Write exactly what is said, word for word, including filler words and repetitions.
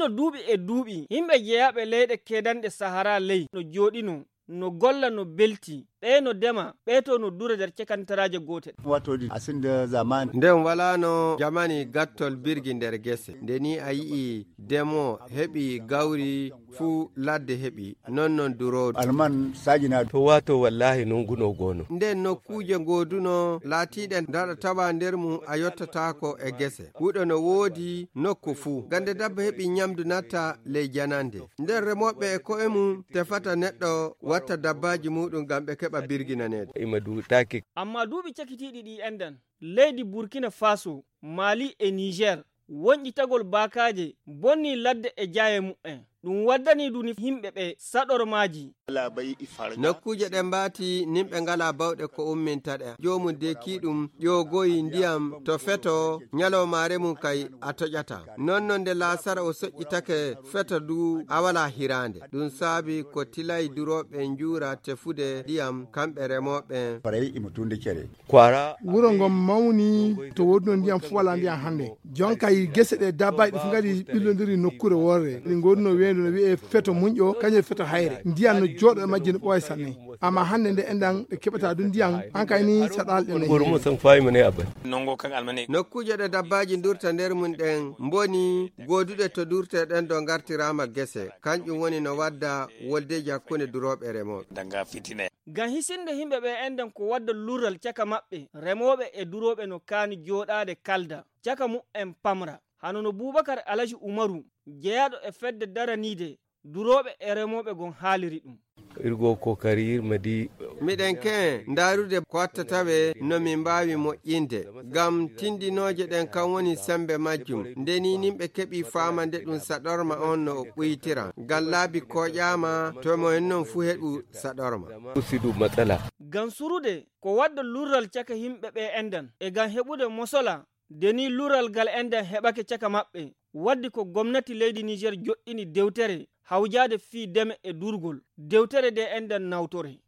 No duuɓi e duuɓi, yimɓe jeyaaɓe leyɗe keedanɗe Sahara ley no jooɗinoo, no golla, no belti, ɓee no dema, ɓee to no dura nder cekantaraaje gootel. Wato di, a sinda zamani. Nden walaano jamani gattol birgi nder gese. Nde ni a yi'i demo heɓi gawri fuu ladde heɓi, non non duroodu. Alman saajinaa. To wato wallahi nunguno gono. Nden nokkuuje gooduno laatiiɗe ndaɗa tawa nder mum a yottataako e gese. Huɗo no woodi nokku fuu. Gande dabba heɓi nyamdu natta ley janande. Nden remooɓe e ko'e mum tefata neɗɗo watta dabbaaji muuɗum ngam ɓe keɓa birginaneede. Ima du taki. Amma duuɓi cakitiiɗi ɗi enɗan, leydi Burkina Faso, Mali e Niger, wonƴitagol baakaaje bonnii ladde e jaaye mu'en. Ɗum waddanii duni yimɓe ɓe saɗormaaji. Nokkuuje ɗe mbaati, nimɓe ngalaa bawɗe ko umminta ɗe. Joomum deekii ɗum, ƴoogoyi ndiyam to feto, nyalawmaare mum kay a toƴataa. Non non nde laasara o soƴƴitake feto du, a walaa hiraande. Ɗum saabi ko tilay durooɓe njuura tefude ndiyam, kamɓe remooɓe. Faray imo tunde cere. Kwara. Wuro ngon mawni to woodunoo ndiyam fuu walaa ndiyam hannde. Jonka yi gese ɗe dabbaaji ɗi fof ngari ɓillondiri nokkuure worre. Ɗi ngooduno weendu no wi'ee feto muñƴo, kañum e feto hayre. Ndiyam no jooɗo e majji no ɓooya sanne. Amma hannde nde enɗan ɓe keɓataa du ndiyam, hankay ni saɗaali ɗe nayi. Nokkuuje ɗe dabbaaji ndurta nder mum ɗen mboni gooduɗe to durte ɗen ɗo ngartiraama gese. Kanƴum woni no wadda woldeeji hakkunde durooɓe e remooɓe. Ngam hisinde yimɓe ɓe enɗan ko wadda lurral caka maɓɓe, remooɓe e durooɓe no kaani jooɗaade kalda, caka mu'en pamra. Hano no Buubakar Alaji Umaru, jeyaaɗo e fedde daraniide durooɓe e remooɓe gon haaliri ɗum. Irgo kokari irma di. Miɗen ke'e ndaarude ko watta tawe no min mbaawi moƴƴinde. Ngam tindinooje ɗen kan woni sembe majjum. Nde ni nimɓe keɓi faama nde ɗum saɗorma on no o ɓuytira. Ngam laabi kooƴaama to mo en non fuu heɓu saɗorma. Usidu matsala. Ngam surude ko wadda lurral caka yimɓe ɓe enɗan, e ngam heɓude mosola, nde ni lurral ngal enɗan heɓake caka maɓɓe, waddi ko gomnati leydi Niger joɗɗini dewtere hawjaade fii deme e durgol. Dewtere nde enɗan nawtore.